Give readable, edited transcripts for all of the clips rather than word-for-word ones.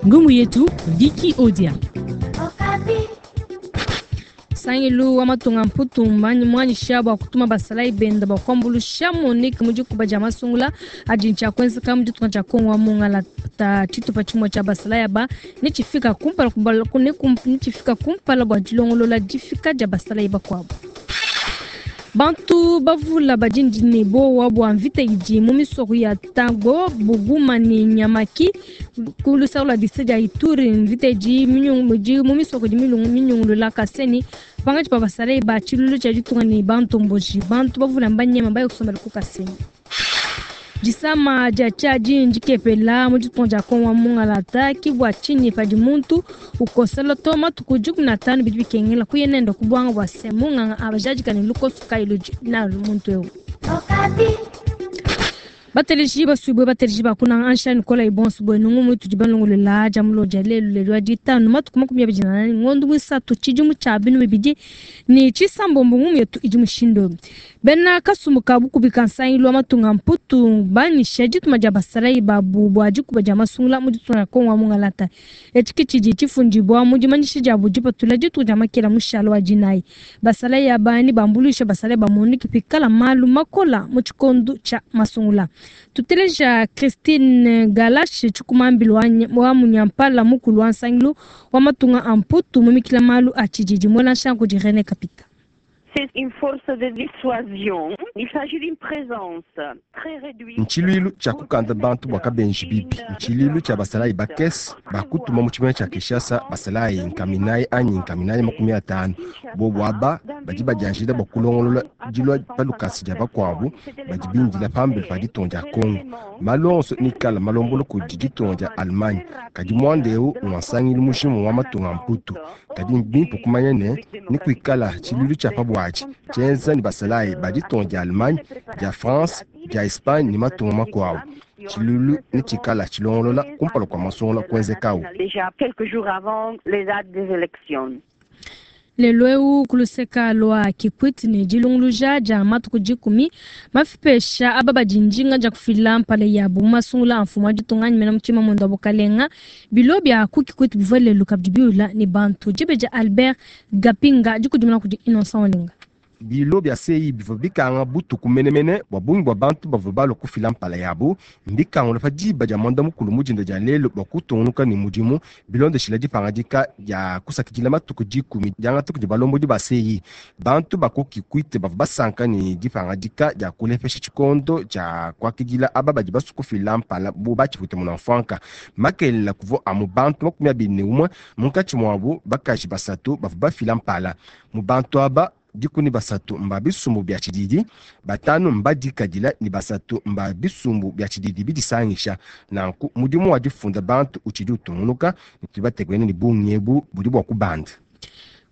Ngumu yetu Vicky Odia. Nsangilu wa matunga Mputu muanyisha bua kutuma basalayi benda bua kuambuluisha MONUC mu dikuba dia masungula adi ntshia kuenzeka mu ditunga dia Kongo wa mungalata. Tshitupa tshimue tshia basalayi aba netshifika kumpala netshifika kumpala bua dilongolola difika dia basalayi bakuabu. Bantu bavula badi ne bowa bua mvita idi mu misoko ya Tango, Buguma ne Nyamaki ku lusaka lua district dia Ituri. Mvita idi mu misoko idi minyungulula Kasenyi pankatshi pa basalayi ba tshiluilu tshia ditunga ne bantomboji. Bantu bavula mbanyema baye kusombela ku Kasenyi. Disama dia tshiadi ndikepela mu ditunga dia Kongo wa mungalata. Ki bua tshinyi padi muntu ukosela to matuku 15 bidi bikengela kuya nende ku buanga bua se munganga abajadika ne lukoso kayi ludi nalu muntu eu. Bateleji basuibue, bateleji ba kunanga ansha nikola ibonso buenu, ngumu itudi balongolola dia mulo dia lelu, lelu wa ditanu matuku 24 ngondo mwisatu tshidimu tshia 2026. Ngumu yetu idi mushindu: bena kasumbu ka bukubi ka nsangilu wa matunga Mputu banyisha dituma dia basalayi babu bua dikuba dia masungula mu ditunga dia Kongo wa mungalata. Etshi ke tshidi tshifundibua mu dimanyisha diabu dipatula dituku dia makela mushalo wa dinayi. Basalayi aba ne bambuluisha basalayi ba MONUC pikala malu makola mu tshikondo tshia masungula. Tuteleja Christine Galash, tshikumambilo wa munyampala mukulu wa nsangilu wa matunga a Mputu mumikila malu a tshididi, muela nshanku di René Kapita. C'est une force de dissuasion. Il s'agit d'une présence très réduite. Ntshiluilu tshia kukanda bantu bua kabenji bibi, ntshiluilu tshia basalayi bakese bakutuma mu tshimenga tshia Kinshasa, basalayi nkaminayi anyi nkaminayi 50. Bobu aba badi badianjila bua kulongolola dilua pa lukasa dia bakuabu badi bindila pambelu pa ditunga dia Kongo. Malu onso nikala malombola kudi ditunga dia Allemagne, kadi muanda eu ngua nsangilu mujima wa matunga a Mputu. Kadi mbimpe kumanya ne nikuikala tshiluilu tshia pa buatshi tshienza ne basalayi ba ditunga dia Allemagne, dia France, dia Espagne ne matunga makuabu. Tshiluilu netshikala tshilongolola kumpala kua masungula kuenzekawu. Déjà quelques jours avant les dates des élections. Lelu eu ku luseka lua Kikwit ne dilunguluja dia matuku 10 mafipesha aba badi njinga dia kufila mpala yabu mu masungula a mfumu wa ditunga anyi mena mutshima mwenda wa bukalenga. Bilo bia ku Kikwit bivua lelu kabidi biula ne bantu. Dibe dia Albert Gapinga dikudimuna kudi Innocent Olinga. Bilo bia CEI bivua bikanga butuku menemene bua bungi bua bantu bavua balua kufila mpala yabu. Mbikangula pa diba dia mwanda mukulu mu dinda dia lelu bua kutungunuka ne mudimu bilondeshila dipangadika dia kusakidila matuku 10 diangata kudi balombodi ba CEI. Bantu ba ku Kikwit bavua basanka ne dipangadika dia kulepesha tshikondo tshia kuakidila aba badi basue kufila mpala bu batshipute munamfuanka. Makelela kuvua amu bantu 21, munkatshi muabu bakaji 3 bavua bafila mpala. Mu bantu aba 13 mba bisumbu bia tshididi, 5 mbadikadila ne 3 mba bisumbu bia tshididi bidisangisha. Nanku mudimu wa difunda bantu utshidi utungunuka, tubatekene ne bungi ebu budi bua kubanda.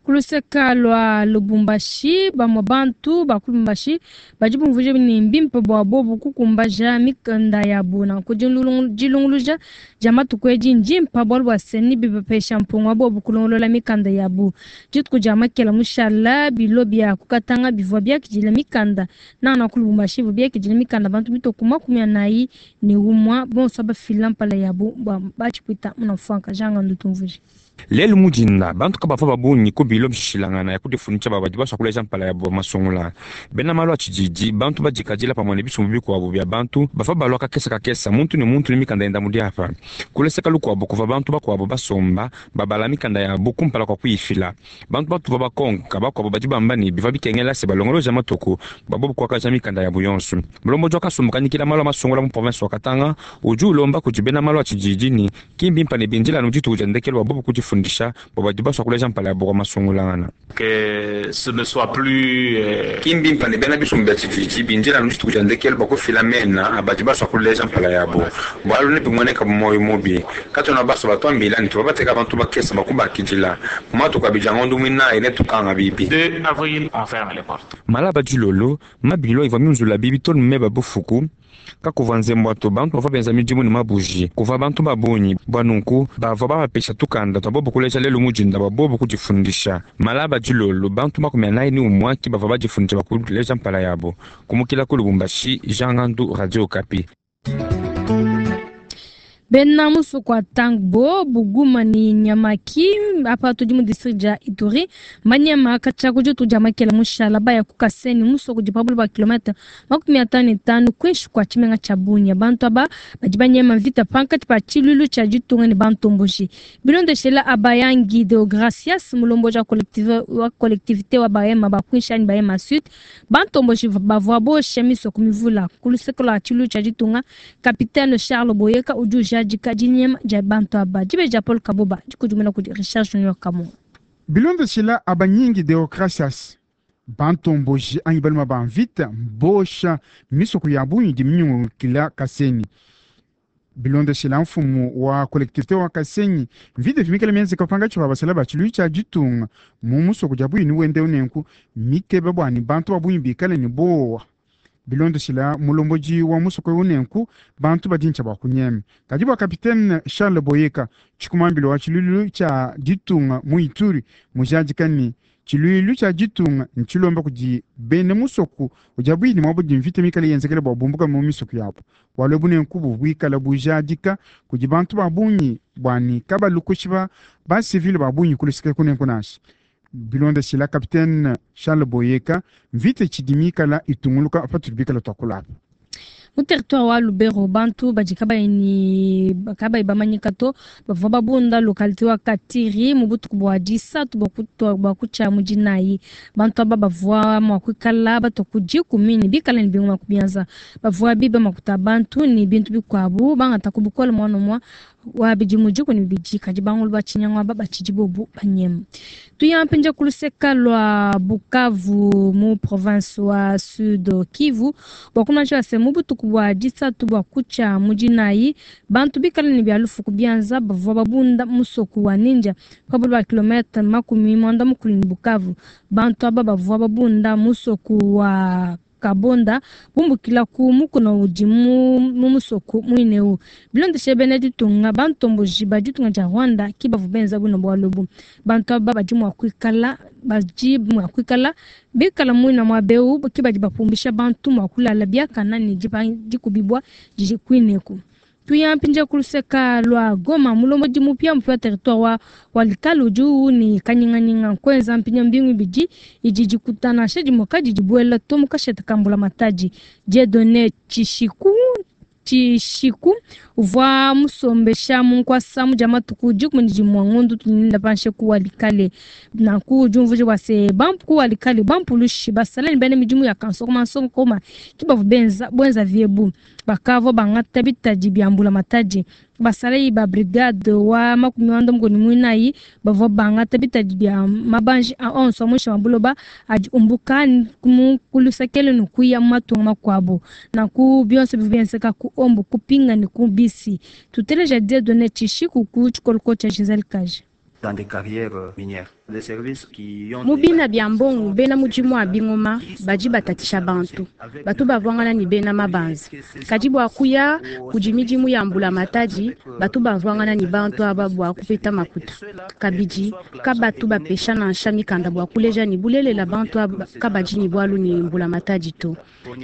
Ku luseka lua Lubumbashi, bamue bantu ba ku Lubumbashi badi bumvuija ne mbimpe bua bobu kukumbaja mikanda yabu. Nanku dilunguluja dia matuku edi ndimpa bualu bua se ne bibapesha mpunga wa bobu kulongolola mikanda yabu. Dituku dia makela mushala bilo bia kukatanga bivua biakidila mikanda nana ku Lubumbashi bivua biakidila mikanda bantu mitoku 41 bonso abafila mpala yabu bua batshipwita munamfuanka janga ndutumvuije. Lelu mudinda bantu kabavua babungi ku bilo bishilangana ya kudifundisha badi basua kuleja mpala yabu masungula. Bena malu a tshididi bantu badikadila pamue ne bisumbu bikuabu bia bantu bavua balua kakesa kakesa muntu ne muntu ne mikanda yenda mu diapa. Kuleseka lukuabu kuvua bantu bakuabu basomba babala mikanda yabu kumpala kua kuyifila. Bantu batuvua bakonka bakuabu badi bamba ne bivua bikengela se balongoloja matuku bua kuakaja mikanda yabu yonso. Mulombodi wa kasumbu kanyikila malu a masungula mu province wa Katanga udi ulomba kudi bena malu a tshididi ne ki mbimpe ne bindila anu dituku dia ndekelu wa bobu kudifundisha bua badi basua kuleja mpala yabu kwa masungulangana. Que ce ne soit plus ki mbimpe ne bena bisumbu bia tshididi bindila anu dituku dia ndekelu bua kufila mena badi basua kuleja mpala yabu. Bualu ne bimueneka bu moyo mubi. Katuna basua batuambila ne tuvua bateka bantu bakesa bakubakidila. Mu matuku abidi a ngondo muinayi ne tukanga bibi. 2 avril, on ferme les portes. Malaba dilolo, mabilo ivua miunzula bibi to ne meba bufuku. Kakuvua nzembo ato bantu bavua benza midimu ne mabuji. Kuvua bantu babungi bua nunku bavua babapesha tukanda tua bobu kuleja lelu mudinda bua bobu kudifundisha. Malaba dilolo bantu 41 ki bavua badifundisha bua kuleja mpala yabo. Kumukila ku Lubumbashi, Jean Ngandu, Radio Okapi. Bena musoko wa Tangbo, Buguma ne Nyamaki apa tudi mu district dia Ituri manyema katshia ku ditu dia makela mushala baya ku Kasenyi musoko udi pa bule bua kilomètre 55 kuinshi kua tshimenga tshia Bunia. Bantu aba badi banyema mvita pankatshi pa tshiluilu tshia ditunga ne bantomboji. Bilondeshela Abayangi Deogracias, mulombodi wa collectivité wa Bahema ba kuinshi anyi Bahema Sud, bantomboji bavua bosha misoko mivula ku luseke lua tshiluilu tshia ditunga. Capitaine Charles Boyeka udi ujadika dinyema dia bantu aba. Dibeji dia Paul Kaboba dikudimuna kudi Richard Junior Kamunga. Bilondeshela Abanyingi Deogracias, bantomboji anyi baluma ba mvita mbosha misoko ya bungi idi minyungulukila Kasenyi. Bilondeshela mfumu wa collectivité wa Kasenyi, mvita vimikala mienzeka pangatshi pa basala ba tshiluilu tshia ditunga mu musoko dia bungi ni wende unenku mikeba bua ni bantu ba bungi bikale ni bowa. Bilondeshela mulombodi wa musoko unenku bantu badi ntshia bua kunyema. Kadi bua capitaine Charles Boyeka, tshikumambilo wa tshiluilu tshia ditunga mu Ituri, mujadika ni tshiluilu tshia ditunga ntshilomba kudi bena musoko udi abuyi ni muabu di mvita mikale yenzekele bua bumbuka mu misoko yabo. Bualu ebu nenku buikala bujadika kudi bantu ba bungi bua ni kabalukushi ba civile ba bungi kuluseke kunenku nansha. Bilondeshela capitaine Charles Boyeka, mvita tshidi mikala itunguluka patudi bikala tuakulapa. Mu territoire wa Lubero, bantu badi kabayi bamanyika to bavua babunda localité wa Katiri mu butuku bua disatu bua kutshia mu dinayi. Bantu aba bavua mua kuikala batua ku dikumi ne bikala ne bingoma ku bianza. Bavua biba makuta a bantu ne bintu bikuabu bangata ku bukole mwana umue wa bidimu 12, kadi bangulu ba tshinyangu aba batshidi bobu banyema. Tuyampenja ku luseka lua Bukavu mu province wa Sud Kivu bua kumanyisha se mu butuku bua disatu bua kutshia mu dinayi bantu bikala ne bia lufu ku bianza bavua babunda musoko wa Ninja pa bule bua kilomètre 90 ne Bukavu. Bantu aba bavua babunda musoko wa Kabonda bumbukila ku mukuna udi mu musoko muineu. Bilondeshe bena ditunga bantomboji ba ditunga dia Rwanda ki bavua benza buno bualu ebu. Bantu aba badi mua kuikala bikala muina mua beu ki badi bapumbisha bantu mua kulala biakana ne dikubibwa didi kuineku. Tuyampinja ku luseka lua Goma mulombodi mupya mupya territoire wa Walikale udi ni kanyinganyinga kwenza mpinya mbingu ibidi idi dikutana sha dimoka didi buela to mu kasheta ka mbulamatadi. Dieudonné Tshishiku uvua musombesha mu nkuasa mu dia matuku 11 ngondu tuninda panshe ku Walikale. Nanku diumvuija bua se ku Walikale bampulushi basala ne bena midimu ya kansokoma nsokoma ki bavua benza viebu. Bakavua bangata bitadi bia mbulamatadi. Basalayi ba brigade wa 94 bavua bangata bitadi bia mabanji a onso muinshi mwa buloba adi umbuka ku luseke ne kuya mu matunga makuabu. Nanku bionso bivua bienzeka ku ombu kupinga ne ku bisi. Tuteleja Dieudonné Tshishiku ku tshikoloko tshia Gisèle Kaji. Dans des carrières minières. Des services qui ont Mu bina bia mbongo bena mudimu wa bingoma badi batatisha bantu batu bavwangana ni bena mabanza kadi bua kuya kudi midimu ya mbulamatadi batu bavwangana ni bantu aba bua kupeta makuta kabidi kabatu bapesha nansha mikanda bua kuleja ni bulelela bantu aba kabadi ni bualu ni mbulamatadi to.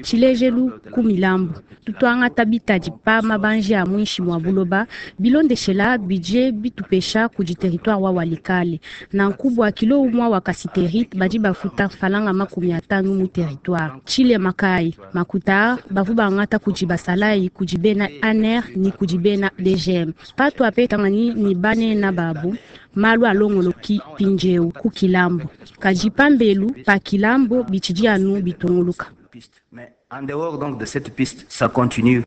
Tshilejelu ku milambu tutwangata bitadi pa mabanji a muinshi mwa buloba bilondeshela budget bitupesha kudi territoire wa Walikale nanku bua kilo umwa wa cassiterite badi bafuta falanga 50 mu territoire. Chile makai makuta bavu bangata kudi basalayi kudi bena ANR ni kudi bena DGM patu apetangani ni banena babu malu alongoloki pinjeu ku kilambo kadi pambelu pa kilambo bitshidi anu bitunguluka. Mais en dehors donc de cette piste, ça continue.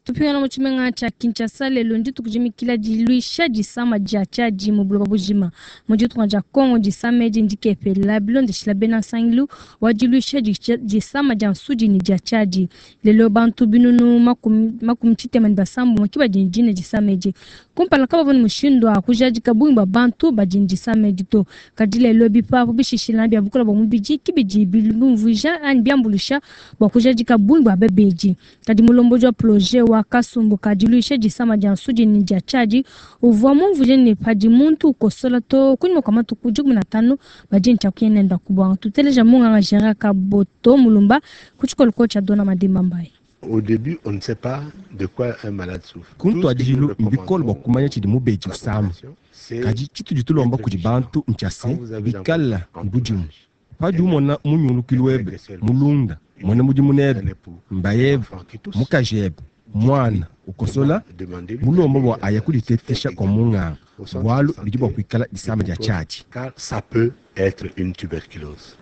Tupingana mu tshimenga tshia Kinshasa lelo ndituku dimikila diluisha disama dia tshiadi mu buloba bujima. Mu ditunga dia Congo disama edi ndikepela bilondeshila bena nsangilu wa diluisha disama dia nsudi ne dia tshiadi. Lelo bantu binunu 36 ki badi ne disama edi. Kumpala kabavua ne mushindu wa kujadika bungi bua bantu badi ne disama edi to. Kadi lelo bipapu bishishilana bia bukole bua mubidi ki bidi bimvuija anyi biambulusha bua kujadika bungi bua babedi. Kadi mulombodi wa projet wa kasumbu ka diluisha disama dia nsudi ne dia tshiadi uvua mumvuije ne padi muntu ukosola to kunyima kua matuku 15 badi ntshia kuyenenda kubwanga. Tuteleja munganga Gérard Kaboto Mulumba ku tshikoloko tshia Dona Madimba Mbaye. Au début, on ne sait pas de quoi un malade souffre. Ku ntuadijilu mbikole bua kumanya tshidi mubedi usama, kadi tshitudi tulomba kudi bantu ntshia se, bikale ne budimu padi umona munyungulukilu webe, mulunda, muena mudimu nebe, mbayebe, mukajebe, muana ukosola, mulomba bua aya kuditetesha kua munganga, bualu bidi bua kuikala disama dia tshiadi. Car ça peut être une tuberculose.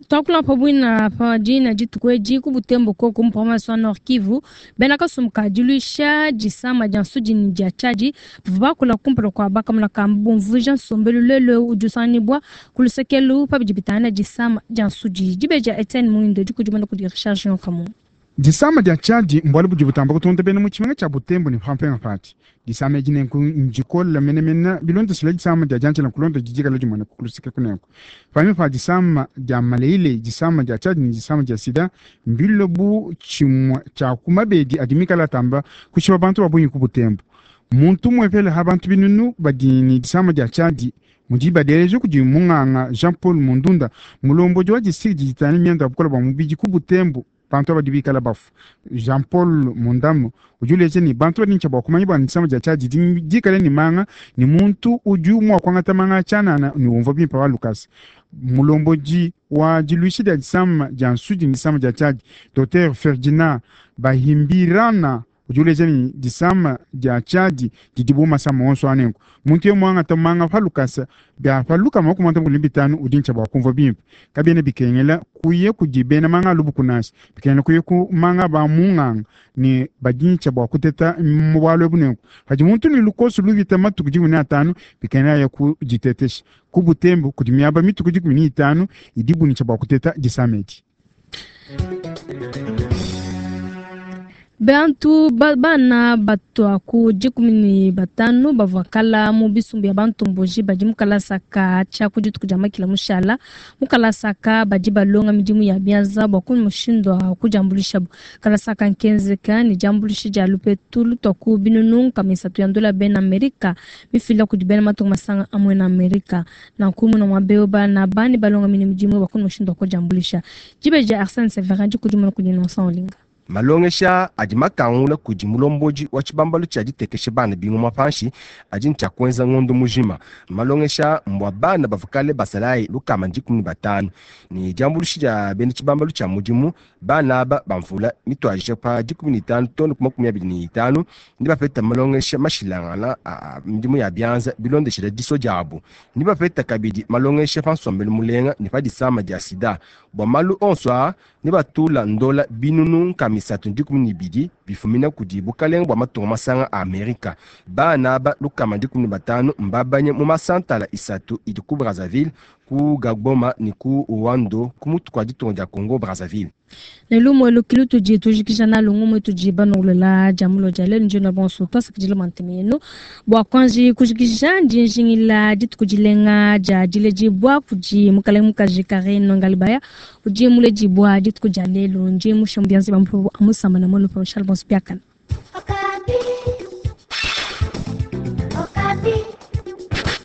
Twakula pa bwina pa dina dituku edi ku Butembo koku mu province wa Nord Kivu, bena kasumbu ka diluisha disama dia nsudi ne dia tshiadi bavua bakula kumpala kua bakamuna kamba bumvuija nsombelu lelu eu udi usanganyibua ku lusekelu pa bidi bitangila disama dia nsudi. Dibeji dia Etienne Muindo dikudimuna kudi Richard Junior Kamungu. Disama dia tshiadi mbualu budi butamba kutonda bena mu tshimenga tshia Butembo ne pampenga pati. Disama edi nenku ndikola menemene bilondeshile disama dia dianjila kulonda didi dikala dimueneka ku luseke kunenku. Panyima pa disama dia maleile, disama dia tshiadi ne disama dia sida mbilue bu tshimue tshia ku mabedi adi mikale atamba kushipa bantu ba bungi ku Butembo. Muntu umuepele ha bantu binunu badi ne disama dia tshiadi mudi badieleje kudi munganga Jean Paul Mundunda, mulombodi wa distrikti didi ditangila mianda ya bukole bua mubidi ku Butembo. Bantu aba badi bikala bafu. Jean Paul Mundamu udi uleja ne, bantu badi ne tshia bua kumanya bua disama dia tshiadi didi dikale ne manga ne muntu udi mua kuangata manga a tshianana ne umvua bimpe pa lukasa. Mulombodi wa diluisha dia disama dia nsudi ne disama dia tshiadi, Docteur Ferdinand Bahimbirana udi uleja ne, disama dia tshiadi didi bu masama onso a nenku muntu yeye muangata manga pa lukasa bia pa 35 udi ne tshia bua kumvua bimpe. Kabiena bikengela kuya kudi bena manga a lubuku nansha, bikengela kuya ku manga ba munganga ne badi ne tshia bua kuteta mu bualu ebu nenku padi muntu ne lukoso lupita matuku 15 bikengela aya ku ditetesha. Ku Butembo kudi miaba mituku 15 idibu ne tshia bua kuteta disama edi. Bantu ba, bana batua ku 15 bavua kala mu bisumbu bia bantomboji badi mu kalasa ka tshia ku dituku dia makila mushala. Mu kalasa ka badi balonga midimu ya bianza bua ku mushindu wa kudiambuluishabu. Kalasa ka nkenzeka ne diambuluisha dia lupetu lutua ku binunu 300 ya ndola bena Amerika mifila kudi bena matunga masanga amue na Amerika. Nanku muna mua beo bana bani balonga mine midimu bua ku mushindu wa kudiambuluisha. Dibeji dia Arsène Severin dikudimuna kudi Innocent Olinga. Malongesha adi makangula kudi mulombodi wa tshibambalu tshia ditekesha bana bingoma panshi adi ne tshia kuenza ngondo mujima. Malongesha mbua bana bavua kale basalayi 115 ne diambuluisha dia bena tshibambalu tshia mudimu. Bana aba ba mvula mituadija pa 15 too ne ku 25 ne bapeta malongesha mashilangana a midimu ya bianza bilondeshila disua diabu. Ne bapeta kabidi malongesha pa nsombelu mulenga ne pa disama dia sida. Bua malu onso aa ne batula ndola binunu 312 bifumina kudi bukalenge bua matunga masanga a Amerika. Bana aba 115 mbabanye mu masantala 3 idi ku Brazzaville, ku Gaboma ne ku Owando ku mutu kua ditunga dia Congo Brazzaville. Ne lumue lukilu tudi tujikija nalu ngumue tudi banongolola dia mulo dia lelu njino bonso twasakidila manteme yenu bua kuanji kujikija ndi njingila dituku dilenga dia diledibua kudi mukalenge mukaji Karine Ngalibaya udi muledibua dituku dia lelu ndi mushe mu bianza bia mupopo amusamba na mulu pa Charles Bonso biakana. Okapi. Okapi.